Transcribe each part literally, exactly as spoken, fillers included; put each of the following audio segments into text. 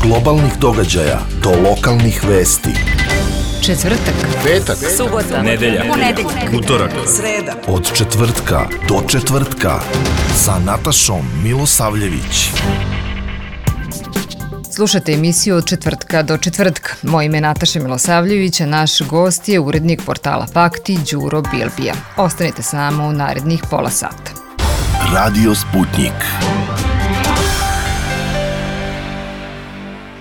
globalnih događaja do lokalnih vesti. Četvrtak, petak, subota, nedelja, ponedeljak, utorak, sreda. Od četvrtka do četvrtka sa Natašom Milosavljević. Slušate emisiju Od četvrtka do četvrtka. Moje ime je Nataša Milosavljević, a naš gost je urednik portala Fakti, Đuro Bilbija. Ostanite s nama u narednih pola sata. Radio Sputnik.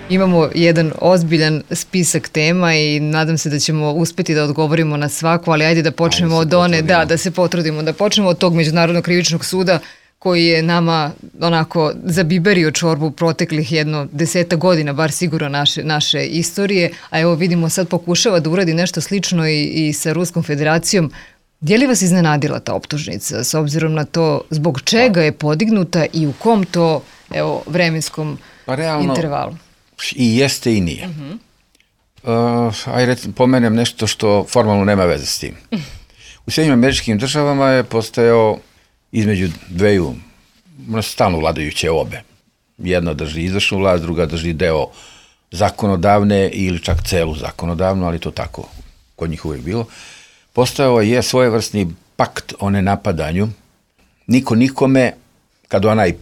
Imamo jedan ozbiljan spisak tema i nadam se da ćemo uspeti da odgovorimo na svaku, ali ajde da počnemo od one, da, da se potrudimo, da počnemo od tog Međunarodnog krivičnog suda koji je nama onako zabiberio čorbu proteklih jedno deseta godina, bar sigurno naše, naše istorije, a evo vidimo sad pokušava da uradi nešto slično i, i sa Ruskom federacijom. Je li vas iznenadila ta optužnica s obzirom na to zbog čega je podignuta i u kom to evo, vremenskom pa realno, intervalu? I jeste i nije. Uh-huh. Uh, ajde pomenem nešto što formalno nema veze s tim. U Sjedinjenim Američkim Državama je postojao između dveju stalno vladajuće obe. Jedna drži izvršnu vlast, druga drži deo zakonodavne ili čak celu zakonodavnu, ali to tako kod njih uvijek bilo. Postojao je svojevrsni pakt o nenapadanju. Niko nikome, kad onaj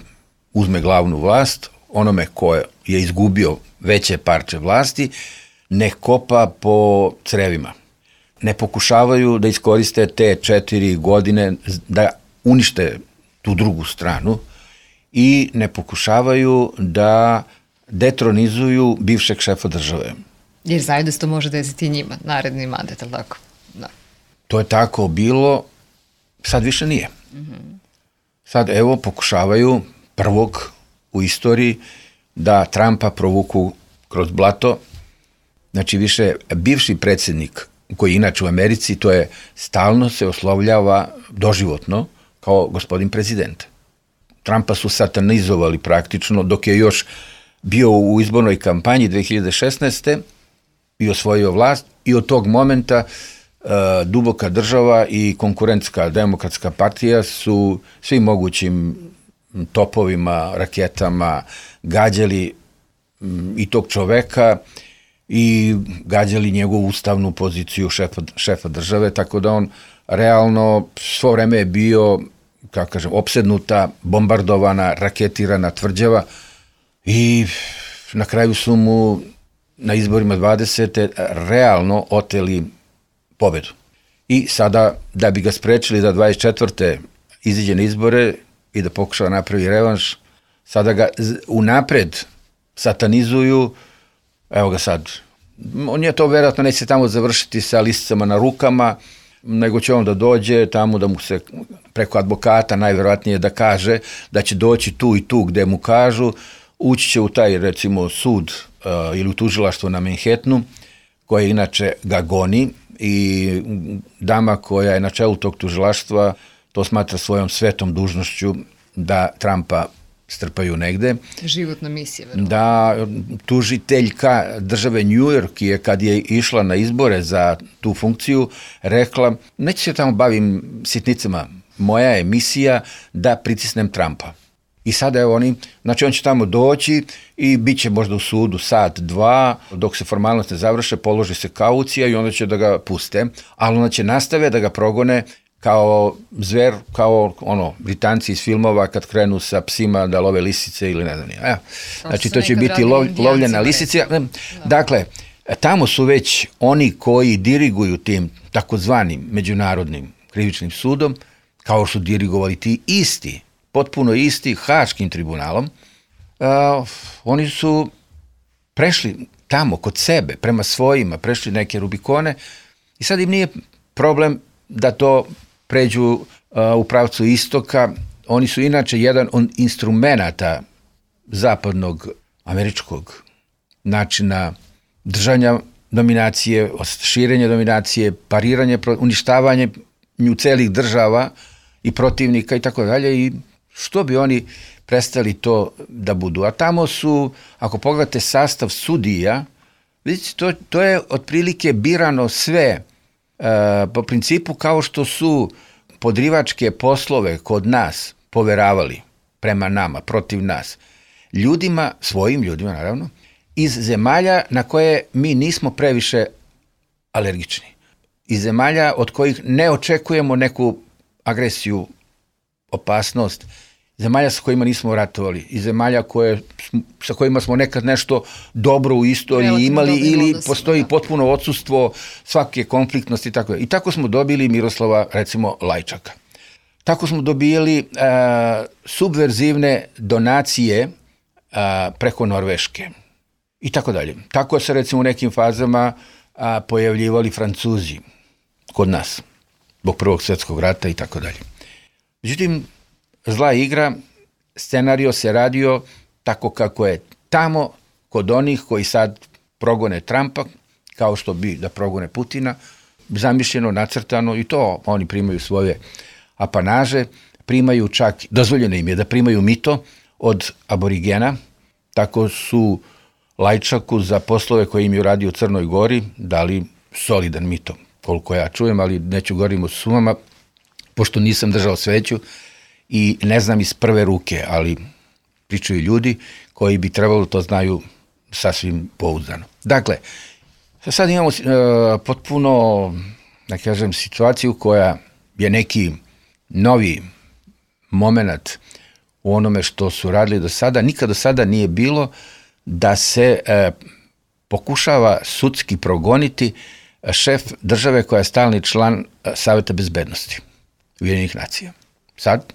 uzme glavnu vlast, onome ko je izgubio veće parče vlasti, ne kopa po crevima. Ne pokušavaju da iskoriste te četiri godine da unište tu drugu stranu i ne pokušavaju da detronizuju bivšeg šefa države. Jer zajedno se to može desiti njima, naredni mandat, ali tako? Da. To je tako bilo, sad više nije. Mm-hmm. Sad evo pokušavaju prvog u istoriji da Trumpa provuku kroz blato. Znači više bivši predsjednik koji inače u Americi, to je stalno se oslovljava doživotno kao gospodin prezident. Trumpa su satanizovali praktično dok je još bio u izbornoj kampanji dve hiljade šesnaeste i osvojio vlast i od tog momenta uh, duboka država i konkurentska demokratska partija su svim mogućim topovima, raketama gađali um, i tog čoveka i gađali njegovu ustavnu poziciju šefa, šefa države, tako da on realno svo vreme je bio, kako kažem, opsednuta, bombardovana, raketirana tvrđava i na kraju su mu na izborima dvadesete realno oteli pobedu. I sada, da bi ga sprečili da dvadeset četvrte iziđe na izbore i da pokušava napravi revanš, sada ga unapred satanizuju. Evo ga sad. On je to vjerojatno neće tamo završiti sa lisicama na rukama, nego će on da dođe tamo da mu se preko advokata najvjerojatnije da kaže da će doći tu i tu gde mu kažu, ući će u taj recimo sud uh, ili u tužilaštvo na Manhattanu koje inače ga goni i dama koja je na čelu tog tužilaštva to smatra svojom svetom dužnošću da Trumpa strpaju negde. Životna misija. Verovatno. Da, tužiteljka države New York je kad je išla na izbore za tu funkciju rekla, neću se tamo bavim sitnicama, moja je misija da pritisnem Trumpa. I sada evo oni, znači on će tamo doći i bit će možda u sudu sat, dva, dok se formalnost ne završe, položi se kaucija i onda će da ga puste, ali onda će nastave da ga progone kao zver, kao ono, Britanci iz filmova kad krenu sa psima da love lisice ili ne znam nije. Evo, znači to će biti lov, lovljena lisica. Da. Dakle, tamo su već oni koji diriguju tim takozvanim međunarodnim krivičnim sudom, kao što su dirigovali ti isti, potpuno isti Haškim tribunalom, uh, oni su prešli tamo kod sebe, prema svojima, prešli neke Rubikone i sad im nije problem da to pređu uh, u pravcu istoka. Oni su inače jedan od instrumenata zapadnog američkog načina držanja dominacije, širenja dominacije, pariranje, uništavanje celih država i protivnika i tako dalje i što bi oni prestali to da budu. A tamo su, ako pogledate sastav sudija, vidite, to, to je otprilike birano sve uh, po principu kao što su podrivačke poslove kod nas poveravali prema nama, protiv nas, ljudima, svojim ljudima naravno, iz zemalja na koje mi nismo previše alergični. Iz zemalja od kojih ne očekujemo neku agresiju, opasnost, zemalja sa kojima nismo ratovali, iz zemalja koje, sa kojima smo nekad nešto dobro u istoriji relativno imali ili odnosima, postoji da. potpuno odsustvo svake konfliktnosti i tako. I tako smo dobili Miroslava, recimo, Lajčaka. Tako smo dobijali uh, subverzivne donacije uh, preko Norveške i tako dalje. Tako se, recimo, u nekim fazama uh, pojavljivali Francuzi kod nas, zbog Prvog svjetskog rata i tako dalje. Međutim, zla igra, scenario se radio tako kako je tamo kod onih koji sad progone Trumpa, kao što bi da progone Putina, zamišljeno, nacrtano i to oni primaju svoje apanaže, primaju čak, dozvoljeno im je da primaju mito od aborigena, tako su Lajčaku za poslove koje im je uradio u Crnoj Gori dali solidan mito, koliko ja čujem, ali neću govoriti o sumama, pošto nisam držao sveću i ne znam iz prve ruke, ali pričaju ljudi koji bi trebalo to znaju sasvim pouzdano. Dakle, sad imamo uh, potpuno, da kažem, situaciju koja je neki novi moment u onome što su radili do sada. Nikad do sada nije bilo da se uh, pokušava sudski progoniti šef države koja je stalni član uh, Saveta bezbednosti Ujedinjenih nacija. Sad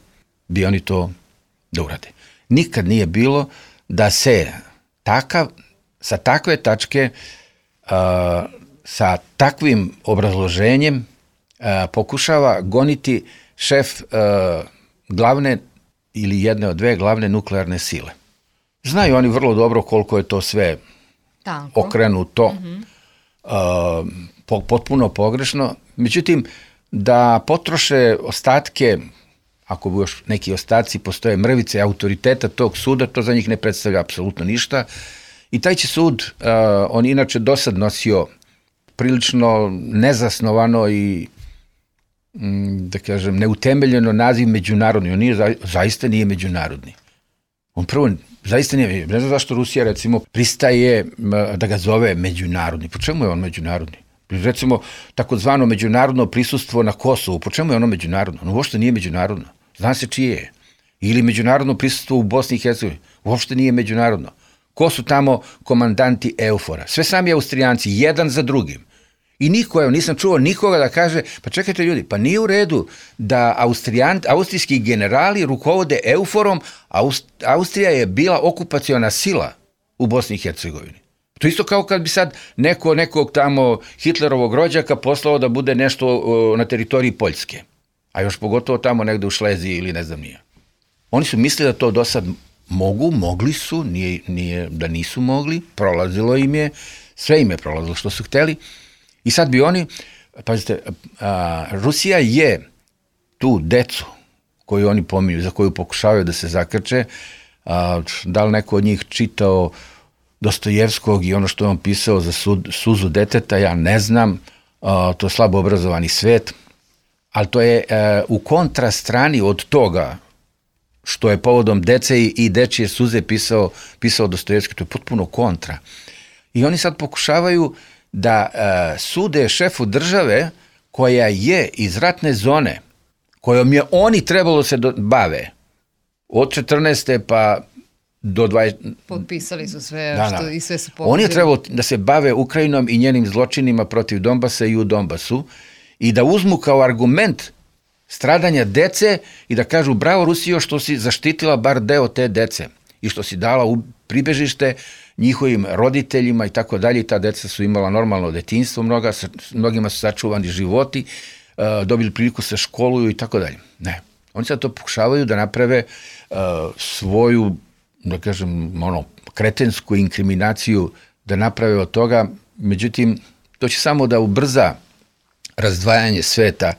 bi oni to da urade. Nikad nije bilo da se takav, sa takve tačke, uh, sa takvim obrazloženjem uh, pokušava goniti šef uh, glavne ili jedne od dve glavne nuklearne sile. Znaju oni vrlo dobro koliko je to sve Tanko. okrenuto, mm-hmm. uh, po, potpuno pogrešno. Međutim, da potroše ostatke, ako bi još neki ostaci postoje mrvice autoriteta tog suda, to za njih ne predstavlja apsolutno ništa. I taj će sud, uh, on inače do sad nosio prilično nezasnovano i mm, da kažem neutemeljeno naziv međunarodni. On nije, za, zaista nije međunarodni. On prvo zaista nije, ne znam zašto Rusija recimo pristaje da ga zove međunarodni. Po čemu je on međunarodni? Recimo, takozvano međunarodno prisustvo na Kosovu, po čemu je ono međunarodno? Ono uopšte nije međunarodno. Zna se čije je. Ili međunarodno prisustvo u Bosni i Hercegovini. Uopšte nije međunarodno. Ko su tamo komandanti EUFOR-a? Sve sami Austrijanci, jedan za drugim. I niko, evo, nisam čuo nikoga da kaže, pa čekajte ljudi, pa nije u redu da Austrijan, austrijski generali rukovode EUFOR-om, Aust, Austrija je bila okupaciona sila u Bosni i Hercegovini. To isto kao kad bi sad neko, nekog tamo Hitlerovog rođaka poslao da bude nešto uh, na teritoriji Poljske. A još pogotovo tamo negde u Šleziji ili ne znam nije. Oni su mislili da to do sad mogu, mogli su, nije, nije da nisu mogli, prolazilo im je, sve im je prolazilo što su hteli. I sad bi oni, pazite, a, Rusija je tu decu koju oni pominju, za koju pokušavaju da se zakrče, a, da li neko od njih čitao Dostojevskog i ono što je on pisao za sud, suzu deteta, ja ne znam, a, to je slabo obrazovani svet, ali to je a, u kontrastrani od toga što je povodom dece i dečije suze pisao, pisao Dostojevski, to je potpuno kontra. I oni sad pokušavaju da uh, sude šefu države koja je iz ratne zone, kojom je oni trebalo se do, bave od četrnaeste pa do dvadesete. Potpisali su sve, da, što, da. I sve su pogodili. Oni je trebalo da se bave Ukrajinom i njenim zločinima protiv Donbasa i u Donbasu i da uzmu kao argument stradanja dece i da kažu bravo Rusijo što si zaštitila bar deo te dece i što si dala u pribežište njihovim roditeljima i tako dalje. Ta deca su imala normalno detinjstvo, mnoga, mnogima su sačuvani životi, uh, dobili priliku se školuju i tako dalje. Ne. Oni sad to pokušavaju da naprave uh, svoju, da kažem, ono, kretensku inkriminaciju, da naprave od toga. Međutim, to će samo da ubrza razdvajanje sveta.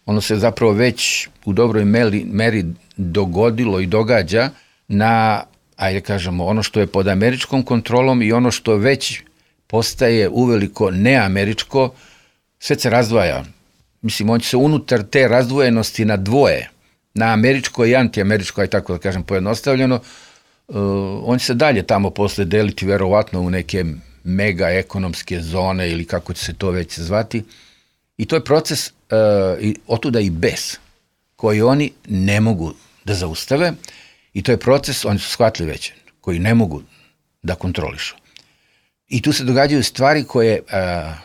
Ono se zapravo već u dobroj meri, meri dogodilo i događa na, ajde kažemo, ono što je pod američkom kontrolom i ono što već postaje uveliko neameričko, sve se razdvaja. Mislim, on će se unutar te razdvojenosti na dvoje, na američko i antiameričko, aj tako da kažem pojednostavljeno, uh, on će se dalje tamo posle deliti verovatno u neke mega ekonomske zone ili kako će se to već zvati. I to je proces uh, i otuda i bes koji oni ne mogu da zaustave i to je proces, oni su shvatili već, koji ne mogu da kontrolišu. I tu se događaju stvari koje, uh,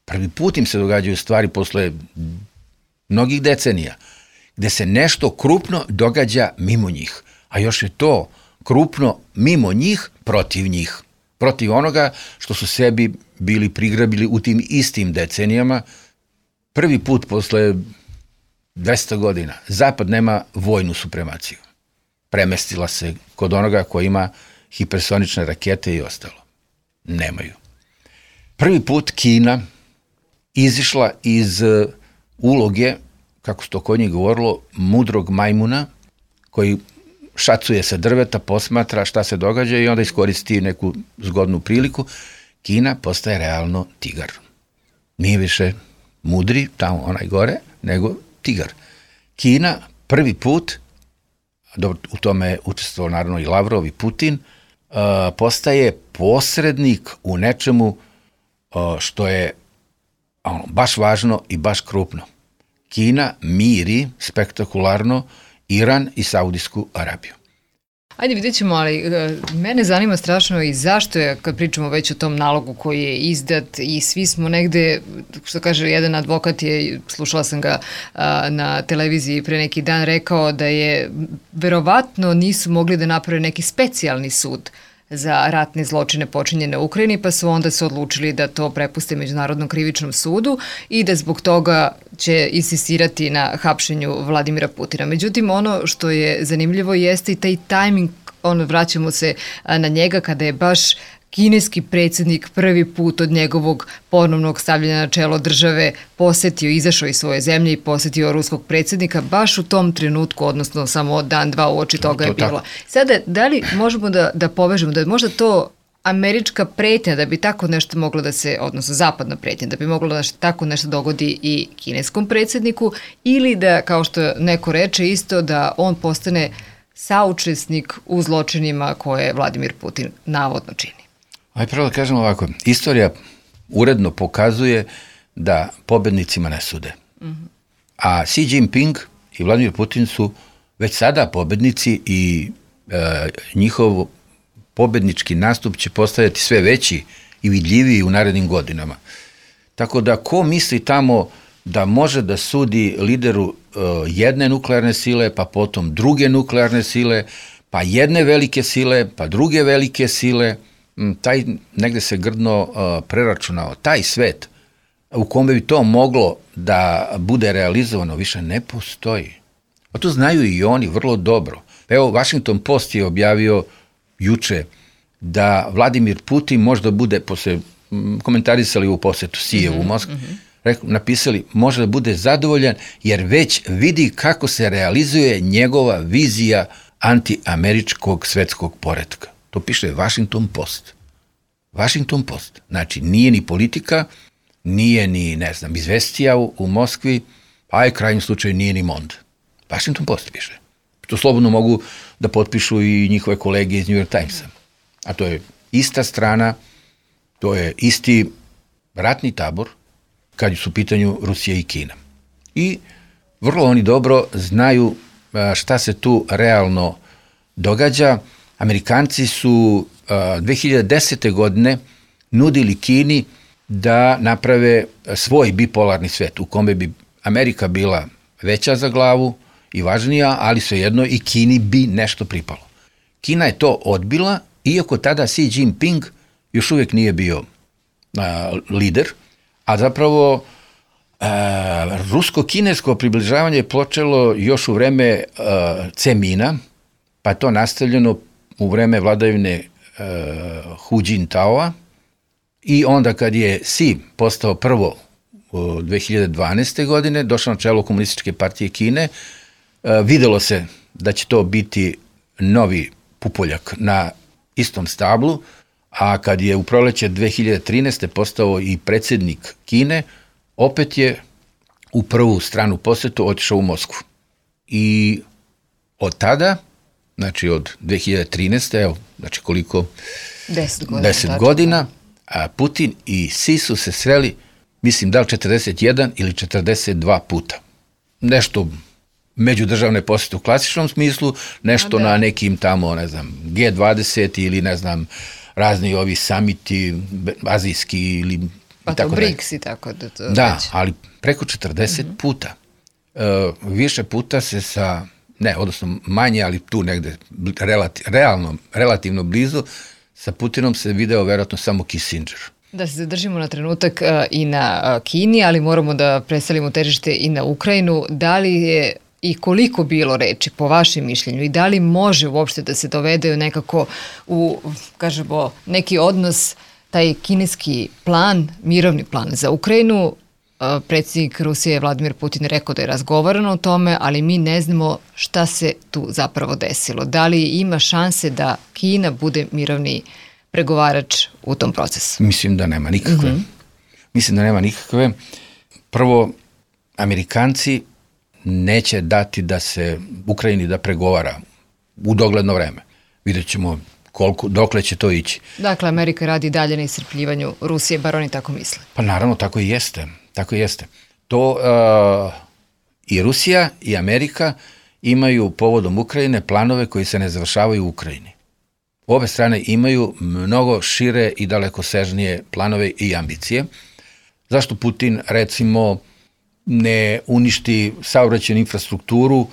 prvi put im se događaju stvari posle mnogih decenija, gde se nešto krupno događa mimo njih, a još je to krupno mimo njih, protiv njih, protiv onoga što su sebi bili prigrabili u tim istim decenijama. Prvi put posle dvesta godina Zapad nema vojnu supremaciju. Premestila se kod onoga koji ima hipersonične rakete i ostalo. Nemaju. Prvi put Kina izišla iz uloge, kako se to kod njih govorilo, mudrog majmuna koji šacuje sa drveta, posmatra šta se događa i onda iskoristi neku zgodnu priliku. Kina postaje realno tigar. Nije više mudri, tamo onaj gore, nego tigar. Kina prvi put, dobro, u tome je učestvovao naravno i Lavrov i Putin, uh, postaje posrednik u nečemu uh, što je ono, baš važno i baš krupno. Kina miri spektakularno Iran i Saudijsku Arabiju. Ajde, vidjet ćemo, ali mene zanima strašno i zašto je, kad pričamo već o tom nalogu koji je izdat i svi smo negde, što kaže jedan advokat je, slušala sam ga a, na televiziji pre neki dan, rekao da je verovatno nisu mogli da naprave neki specijalni sud za ratne zločine počinjene u Ukrajini, pa su onda se odlučili da to prepuste Međunarodnom krivičnom sudu i da zbog toga će insistirati na hapšenju Vladimira Putina. Međutim, ono što je zanimljivo jeste i taj tajming, ono, vraćamo se na njega kada je baš kineski predsjednik prvi put od njegovog ponovnog stavljanja na čelo države posetio, izašao iz svoje zemlje i posetio ruskog predsjednika baš u tom trenutku, odnosno samo dan, dva uoči toga je bilo. Sada, da li možemo da, da povežemo, da je možda to američka pretnja da bi tako nešto moglo da se, odnosno zapadna pretnja, da bi moglo da tako nešto dogodi i kineskom predsjedniku, ili da, kao što neko reče isto, da on postane saučesnik u zločinima koje Vladimir Putin navodno čini. Aj prvo da kažem ovako, istorija uredno pokazuje da pobednicima ne sude. Mm-hmm. A Xi Jinping i Vladimir Putin su već sada pobednici i e, njihov pobednički nastup će postajati sve veći i vidljiviji u narednim godinama. Tako da ko misli tamo da može da sudi lideru e, jedne nuklearne sile, pa potom druge nuklearne sile, pa jedne velike sile, pa druge velike sile, taj negde se grdno uh, preračunao, taj svet u kome bi to moglo da bude realizovano više ne postoji. A to znaju i oni vrlo dobro. Evo, Washington Post je objavio juče da Vladimir Putin možda bude, posle komentarisali u posetu Sijevu mm-hmm, u Moskvi, mm-hmm. napisali, može da bude zadovoljan jer već vidi kako se realizuje njegova vizija antiameričkog svetskog poretka. To piše Washington Post. Washington Post. Znači, nije ni politika, nije ni, ne znam, izvestija u, u Moskvi, a je krajnjem slučaju nije ni Mond. Washington Post piše. To slobodno mogu da potpišu i njihove kolege iz New York Timesa. A to je ista strana, to je isti ratni tabor kad su u pitanju Rusija i Kina. I vrlo oni dobro znaju šta se tu realno događa. Amerikanci su uh, dve hiljade desete. godine nudili Kini da naprave svoj bipolarni svet u kome bi Amerika bila veća za glavu i važnija, ali svejedno i Kini bi nešto pripalo. Kina je to odbila, iako tada Xi Jinping još uvijek nije bio uh, lider, a zapravo uh, rusko-kinesko približavanje je počelo još u vreme uh, Cemina, pa je to nastavljeno u vreme vladavine uh, Hu Jintaoa i onda kad je Xi postao prvo u dve hiljade dvanaeste. godine, došao na čelo Komunističke partije Kine, uh, videlo se da će to biti novi pupoljak na istom stablu, a kad je u proleće dve hiljade trinaeste. postao i predsjednik Kine, opet je u prvu stranu posetu otišao u Moskvu. I od tada znači od dve hiljade trinaeste. evo, znači koliko? Deset godina. Deset godina, a Putin i Si su se sreli, mislim, da li četrdeset jedan ili četrdeset dva puta. Nešto međudržavne posete u klasičnom smislu, nešto da. na nekim tamo, ne znam, G dvadeset ili ne znam, razni ovi samiti, azijski ili pa to BRICS i tako da to da, već. ali preko četrdeset mm-hmm. puta. E, više puta se sa, ne, odnosno manje, ali tu negde relati, realno, relativno blizu, sa Putinom se video verovatno samo Kissinger. Da se zadržimo na trenutak uh, i na uh, Kini, ali moramo da preselimo težište i na Ukrajinu. Da li je i koliko bilo reči po vašem mišljenju i da li može uopšte da se dovede nekako u, kažemo, neki odnos, taj kineski plan, mirovni plan za Ukrajinu? Predsjednik Rusije Vladimir Putin rekao da je razgovarano o tome, ali mi ne znamo šta se tu zapravo desilo. Da li ima šanse da Kina bude mirovni pregovarač u tom procesu? Mislim da nema nikakve. Mm-hmm. Mislim da nema nikakve. Prvo, Amerikanci neće dati da se Ukrajini da pregovara u dogledno vreme. Vidjet ćemo koliko, dokle će to ići. Dakle, Amerika radi dalje na iscrpljivanju Rusije, bar oni tako misle. Pa naravno, tako i jeste. Tako i jeste. To uh, i Rusija i Amerika imaju povodom Ukrajine planove koji se ne završavaju u Ukrajini. Obe strane imaju mnogo šire i dalekosežnije planove i ambicije. Zašto Putin, recimo, ne uništi saobraćajnu infrastrukturu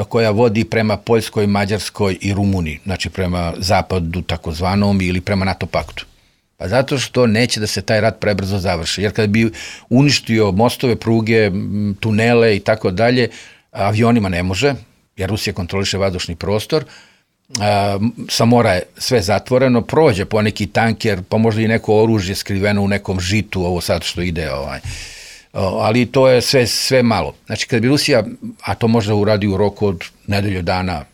koja vodi prema Poljskoj, Mađarskoj i Rumuniji, znači prema zapadu takozvanom ili prema NATO paktu? Pa zato što neće da se taj rat prebrzo završi. Jer kada bi uništio mostove, pruge, tunele i tako dalje, avionima ne može, jer Rusija kontroliše vazdušni prostor, sa mora je sve zatvoreno, prođe po neki tanker, pa možda i neko oružje skriveno u nekom žitu, ovo sad što ide, ovaj. Ali to je sve, sve malo. Znači, kada bi Rusija, a to možda uradi u roku od nedelju dana,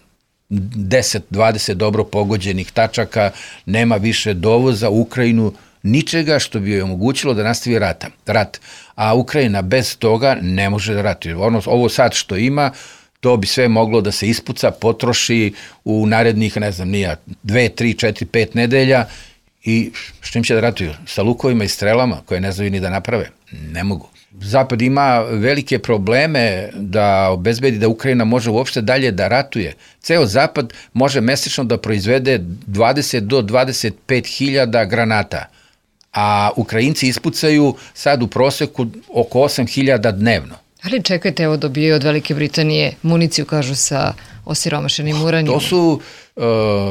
deset dvadeset dobro pogođenih tačaka, nema više dovoza u Ukrajinu, ničega što bi joj omogućilo da nastavi rata, rat. A Ukrajina bez toga ne može da ratuje. Ono, ovo sad što ima, to bi sve moglo da se ispuca, potroši u narednih, ne znam, nija, dve, tri, četiri, pet nedelja i s čim će da ratuju? Sa lukovima i strelama koje ne znaju ni da naprave? Ne mogu. Zapad ima velike probleme da obezbedi da Ukrajina može uopšte dalje da ratuje. Ceo Zapad može mesečno da proizvede dvadeset do dvadeset pet hiljada granata, a Ukrajinci ispucaju sad u proseku oko osam hiljada dnevno. Ali čekajte, evo dobijaju od Velike Britanije municiju, kažu, sa osiromašenim uranijom. To su, uh,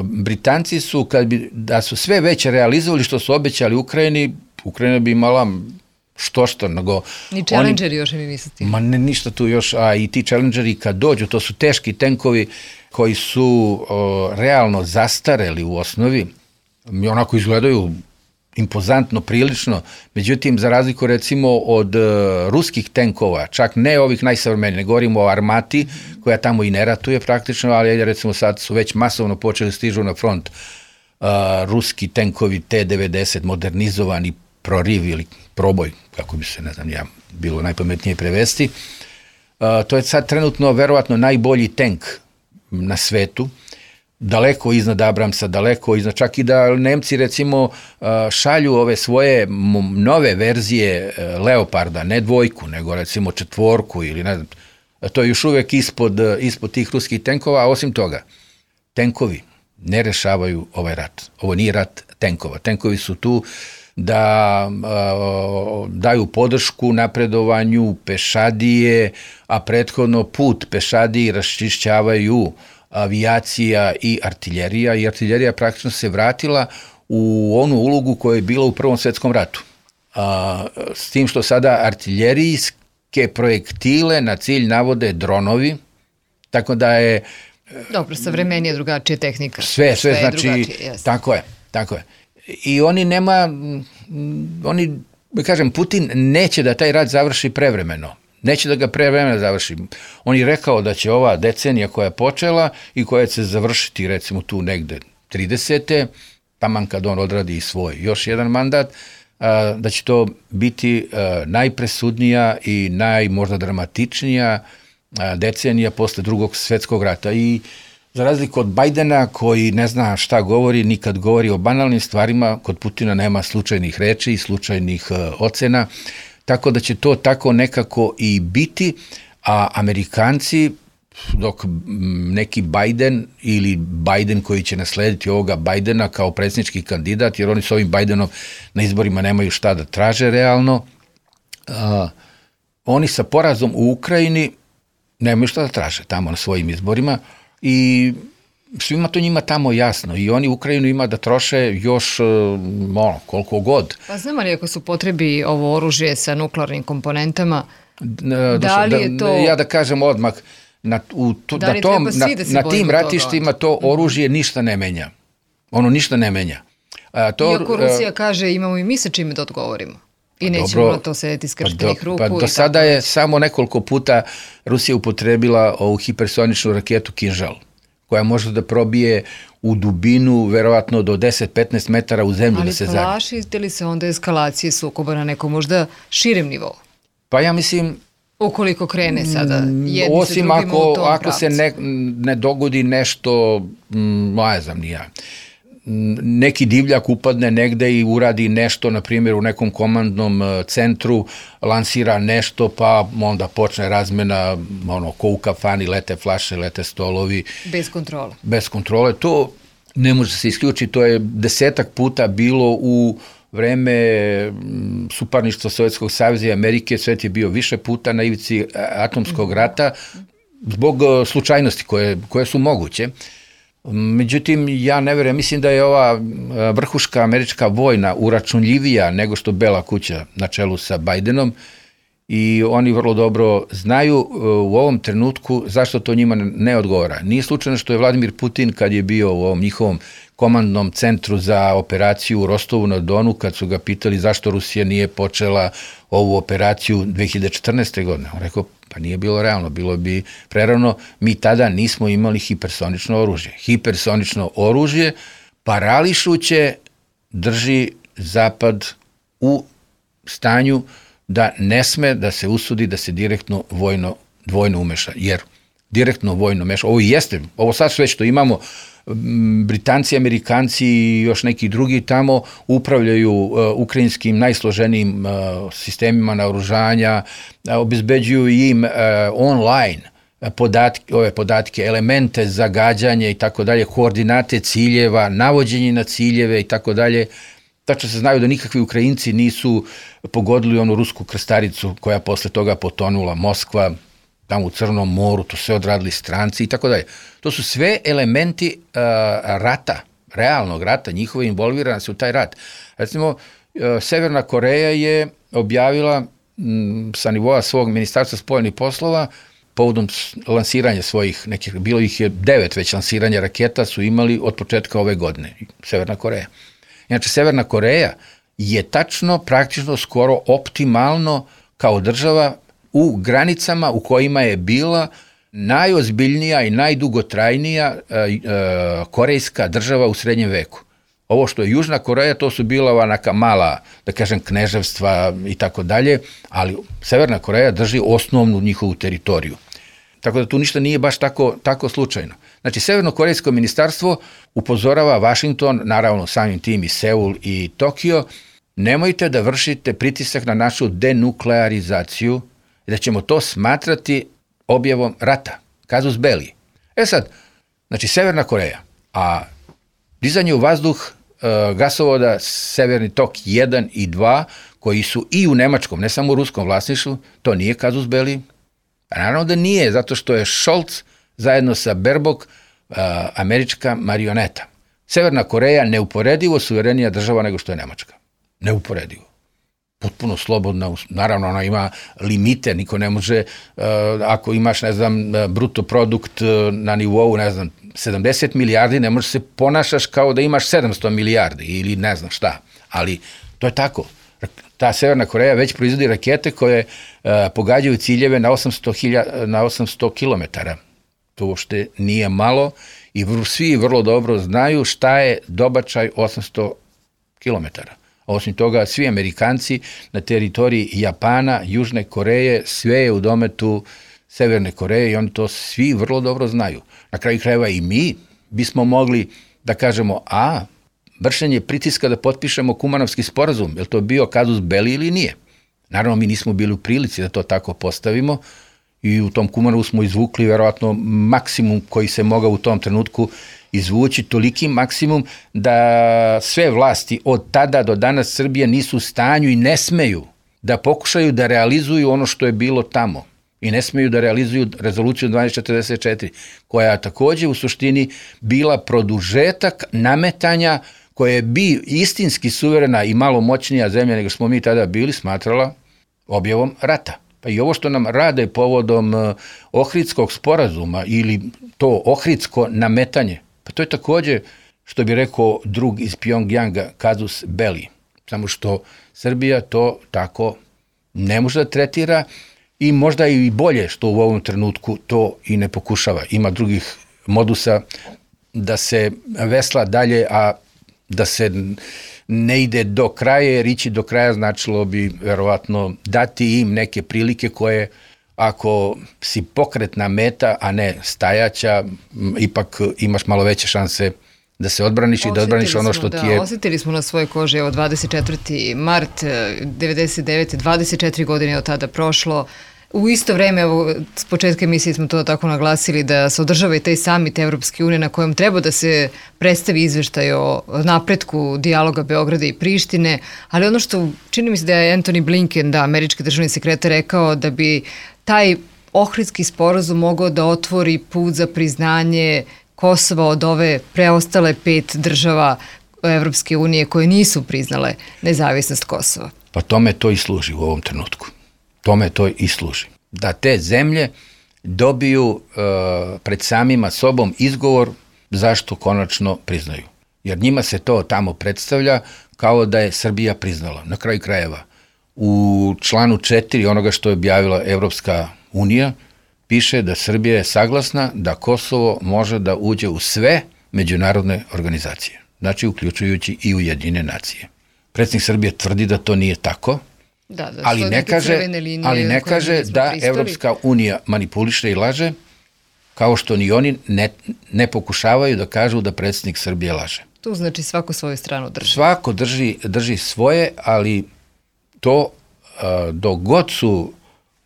Britanci su, kad bi, da su sve već realizovali što su obećali Ukrajini, Ukrajina bi imala što što, nego... Ni Challengeri još mi misliti. Ma ne, ništa tu još, a i ti Challengeri kad dođu, to su teški tenkovi koji su o, realno zastareli u osnovi, i onako izgledaju impozantno, prilično, međutim, za razliku recimo od uh, ruskih tenkova, čak ne ovih najsavremenijih, ne govorimo o armati, koja tamo i ne ratuje praktično, ali recimo sad su već masovno počeli stižu na front uh, ruski tenkovi T devedeset, modernizovani proriv ili proboj, kako bi se, ne znam, ja, bilo najpametnije prevesti. Uh, to je sad trenutno verovatno najbolji tank na svetu, daleko iznad Abramsa, daleko iznad, čak i da Nemci recimo uh, šalju ove svoje nove verzije uh, Leoparda, ne dvojku, nego recimo četvorku ili ne znam, to je još uvek ispod, ispod tih ruskih tenkova, a osim toga, tenkovi ne rešavaju ovaj rat. Ovo nije rat tenkova. Tenkovi su tu da uh, daju podršku napredovanju pešadije, a prethodno put pešadiji raščišćavaju avijacija i artiljerija, i artiljerija praktično se vratila u onu ulogu koja je bila u Prvom svetskom ratu. A, s tim što sada artiljerijske projektile na cilj navode dronovi, tako da je... Dobro, savremenija drugačija tehnika. Sve, sve, sve znači, tako je, tako je. I oni nema, oni, kažem, Putin neće da taj rat završi prevremeno. Neće da ga prevremeno završi. On je rekao da će ova decenija koja je počela i koja će se završiti recimo tu negde tridesete taman kad on odradi svoj još jedan mandat, da će to biti najpresudnija i najmožda dramatičnija decenija posle Drugog svetskog rata. I Za razliku od Bajdena koji ne zna šta govori, nikad govori o banalnim stvarima, kod Putina nema slučajnih reči i slučajnih uh, ocena, tako da će to tako nekako i biti, a Amerikanci, dok neki Biden ili Biden koji će naslediti ovoga Bajdena kao predsjednički kandidat, jer oni s ovim Bajdenom na izborima nemaju šta da traže realno, uh, oni sa porazom u Ukrajini nemaju šta da traže tamo na svojim izborima i svima to njima tamo jasno i oni Ukrajinu ima da troše još ono, koliko god. Pa znam li ako su potrebi ovo oružje sa nuklearnim komponentama, da, da li je to... Ja da kažem odmah, na, u, tu, da na, tom, na, da na tim ratištima to oružje ništa ne menja. Ono ništa ne menja. A, to, Iako Rusija a, kaže imamo i mi sa čime da odgovorimo. I nećemo dobro, na to sedeti skrštenih pa ruku. Pa do sada je samo nekoliko puta Rusija upotrebila ovu hipersoničnu raketu Kinžal, koja može da probije u dubinu verovatno do deset do petnaest metara u zemlju. Ali da se Ali plašite li se onda eskalacije sukoba na nekom možda širem nivou? Pa ja mislim... Ukoliko krene sada jedni osim sa ako, drugima u tom ako pravcu. se ne, ne dogodi nešto, ne znam ni ja, neki divljak upadne negde i uradi nešto, na primjer u nekom komandnom centru, lansira nešto, pa onda počne razmena, ono, ko u kafani, lete flaše, lete stolovi. Bez kontrole. Bez kontrole. To ne može se isključiti, to je desetak puta bilo u vreme suparništva Sovjetskog saveza i Amerike, svet je bio više puta na ivici atomskog rata, zbog slučajnosti koje, koje su moguće. Međutim, ja ne verujem, mislim da je ova vrhuška američka vojna uračunljivija nego što Bela kuća na čelu sa Bajdenom i oni vrlo dobro znaju u ovom trenutku zašto to njima ne odgovara. Nije slučajno što je Vladimir Putin kad je bio u ovom njihovom komandnom centru za operaciju u Rostovu na Donu, kad su ga pitali zašto Rusija nije počela ovu operaciju dve hiljade četrnaeste. godine. On rekao, pa nije bilo realno, bilo bi prerano, mi tada nismo imali hipersonično oružje. Hipersonično oružje parališuće drži Zapad u stanju da ne sme da se usudi da se direktno vojno, vojno umeša, jer direktno vojno meša, ovo jeste, ovo sad sve što imamo, Britanci, Amerikanci i još neki drugi tamo upravljaju uh, ukrajinskim najsloženijim uh, sistemima naoružanja, uh, obezbeđuju im uh, online podatke, ove podatke, elemente za gađanje i tako dalje, koordinate ciljeva, navođenje na ciljeve i tako dalje. Tačno se znaju da nikakvi Ukrajinci nisu pogodili onu rusku krstaricu koja posle toga potonula, Moskva, tamo u Crnom moru, to sve odradili stranci i tako dalje. To su sve elementi uh, rata, realnog rata, njihove involviranosti u taj rat. Recimo, uh, Severna Koreja je objavila m, sa nivoa svog ministarstva spoljnih poslova povodom lansiranja svojih, nekih, bilo ih je devet već lansiranja raketa su imali od početka ove godine, Severna Koreja. Inače, Severna Koreja je tačno, praktično, skoro optimalno kao država u granicama u kojima je bila najozbiljnija i najdugotrajnija e, e, korejska država u srednjem veku. Ovo što je Južna Koreja, to su bila neka mala, da kažem, kneževstva i tako dalje, ali Severna Koreja drži osnovnu njihovu teritoriju. Tako da tu ništa nije baš tako, tako slučajno. Znači, Severno-korejsko ministarstvo upozorava Vašington, naravno samim tim i Seul i Tokio, nemojte da vršite pritisak na našu denuklearizaciju, da ćemo to smatrati objavom rata, casus belli. E sad, znači Severna Koreja, a dizanje u vazduh e, gasovoda Severni tok jedan i dva, koji su i u nemačkom, ne samo u ruskom vlasništvu, to nije casus belli. A naravno da nije, zato što je Scholz zajedno sa Baerbock e, američka marioneta. Severna Koreja neuporedivo suverenija država nego što je Nemačka. Neuporedivo. Potpuno slobodna, naravno ona ima limite, niko ne može, uh, ako imaš, ne znam, bruto produkt uh, na nivou, ne znam, sedamdeset milijardi, ne možeš se ponašaš kao da imaš sedamsto milijardi ili ne znam šta, ali to je tako. Ta Severna Koreja već proizvodi rakete koje uh, pogađaju ciljeve na osamsto hiljada, na osamsto kilometara. To uopšte nije malo i vr, svi vrlo dobro znaju šta je dobačaj osamsto kilometara. Osim toga, svi Amerikanci na teritoriji Japana, Južne Koreje, sve je u dometu Severne Koreje i oni to svi vrlo dobro znaju. Na kraju krajeva i mi bismo mogli da kažemo, a, vršenje pritiska da potpišemo Kumanovski sporazum, je li to bio kazus belli ili nije? Naravno, mi nismo bili u prilici da to tako postavimo i u tom Kumanovu smo izvukli verovatno maksimum koji se mogao u tom trenutku izvući, toliki maksimum da sve vlasti od tada do danas Srbije nisu u stanju i ne smeju da pokušaju da realizuju ono što je bilo tamo i ne smeju da realizuju rezoluciju dvanaest četrdeset četiri, koja je takođe u suštini bila produžetak nametanja koje bi istinski suverena i malo moćnija zemlja nego smo mi tada bili smatrala objavom rata. Pa i ovo što nam rade povodom Ohridskog sporazuma ili to ohridsko nametanje, pa to je takođe, što bi rekao drug iz Pjongjanga, kazus belli. Samo što Srbija to tako ne može da tretira i možda i bolje što u ovom trenutku to i ne pokušava. Ima drugih modusa da se vesla dalje, a da se ne ide do kraja, jer ići do kraja značilo bi verovatno dati im neke prilike koje, ako si pokretna meta, a ne stajaća, ipak imaš malo veće šanse da se odbraniš i da odbraniš ono što ti je... Osjetili smo na svojoj koži, evo dvadeset četvrti mart devedeset devete. dvadeset četiri godine je od tada prošlo. U isto vreme, evo, s početka emisije smo to tako naglasili da se održava i taj samit Evropske unije na kojem treba da se predstavi izveštaj o napretku dijaloga Beograda i Prištine, ali ono što čini mi se da je Antony Blinken, da, američki državni sekretar, rekao da bi taj Ohridski sporazum mogao da otvori put za priznanje Kosova od ove preostale pet država Evropske unije koje nisu priznale nezavisnost Kosova. Pa tome to i služi u ovom trenutku. Tome to i služi. Da te zemlje dobiju e, pred samima sobom izgovor zašto konačno priznaju. Jer njima se to tamo predstavlja kao da je Srbija priznala. Na kraju krajeva, u članu četiri onoga što je objavila Evropska unija, piše da Srbija je saglasna da Kosovo može da uđe u sve međunarodne organizacije. Znači, uključujući i Ujedinjene nacije. Predsjednik Srbije tvrdi da to nije tako, Da, da, ali ne kaže, ali ne kaže da pristali. Evropska unija manipuliše i laže, kao što ni oni ne, ne pokušavaju da kažu da predsjednik Srbije laže. Tu znači svako svoju stranu drži. Svako drži, drži svoje, ali to a, dok god su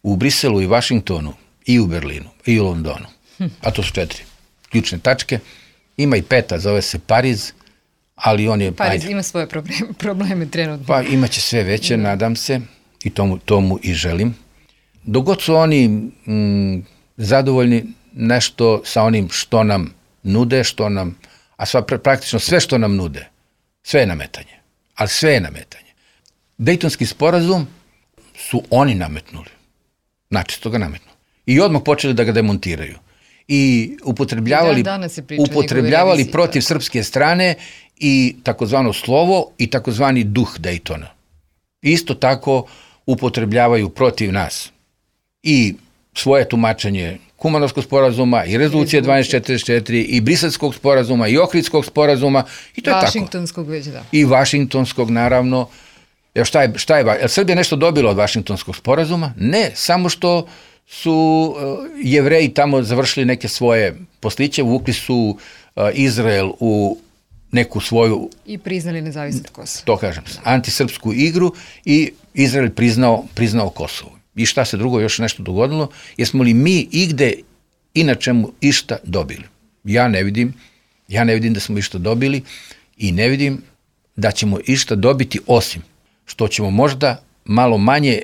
u Briselu i Vašingtonu i u Berlinu i u Londonu, hm. a to su četiri ključne tačke, ima i peta, zove se Pariz, ali on je... Pariz ajde, ima svoje probleme, probleme trenutno. Pa imaće sve veće, mm. nadam se, i tomu, tomu i želim. Dok god su oni mm, zadovoljni nešto sa onim što nam nude, što nam, a sva, praktično sve što nam nude, sve je nametanje, ali sve je nametanje. Dejtonski sporazum su oni nametnuli, načisto ga nametnuli. I odmah počeli da ga demontiraju. I upotrebljavali, upotrebljavali protiv srpske strane i takozvano slovo i takozvani duh Dejtona. Isto tako upotrebljavaju protiv nas i svoje tumačenje Kumanovskog sporazuma i rezolucije dvanaest četrdeset četiri i Briselskog sporazuma i Ohridskog sporazuma i to je tako. Vašingtonskog već, da. I Vašingtonskog, naravno. Evo šta je, šta je, je li Srbija nešto dobila od Vašingtonskog sporazuma? Ne, samo što su uh, Jevreji tamo završili neke svoje posliće, vukli su uh, Izrael u neku svoju... I priznali nezavisnost Kosova. To kažem, antisrpsku igru i Izrael priznao, priznao Kosovo. I šta se drugo još nešto dogodilo? Jesmo li mi igde i na čemu išta dobili? Ja ne vidim, ja ne vidim da smo išta dobili i ne vidim da ćemo išta dobiti, osim što ćemo možda malo manje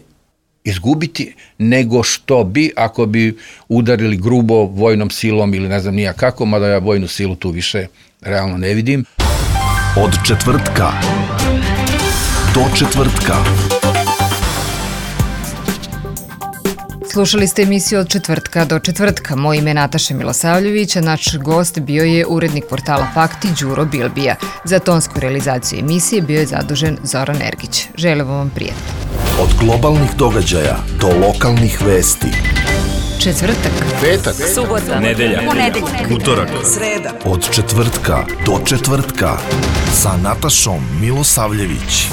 izgubiti nego što bi ako bi udarili grubo vojnom silom ili ne znam nija kako, mada ja vojnu silu tu više realno ne vidim. Od četvrtka do četvrtka. Slušali ste emisiju Od četvrtka do četvrtka. Moje ime je Nataša Milosavljević, a naš gost bio je urednik portala Fakti Đuro Bilbija. Za tonsku realizaciju emisije bio je zadužen Zoran Ergić. Želim vam prijatno. Od globalnih događaja do lokalnih vesti. Četvrtak, petak, subota, nedelja, ponedeljak, utorak, sreda. Od četvrtka do četvrtka sa Natašom Milosavljević.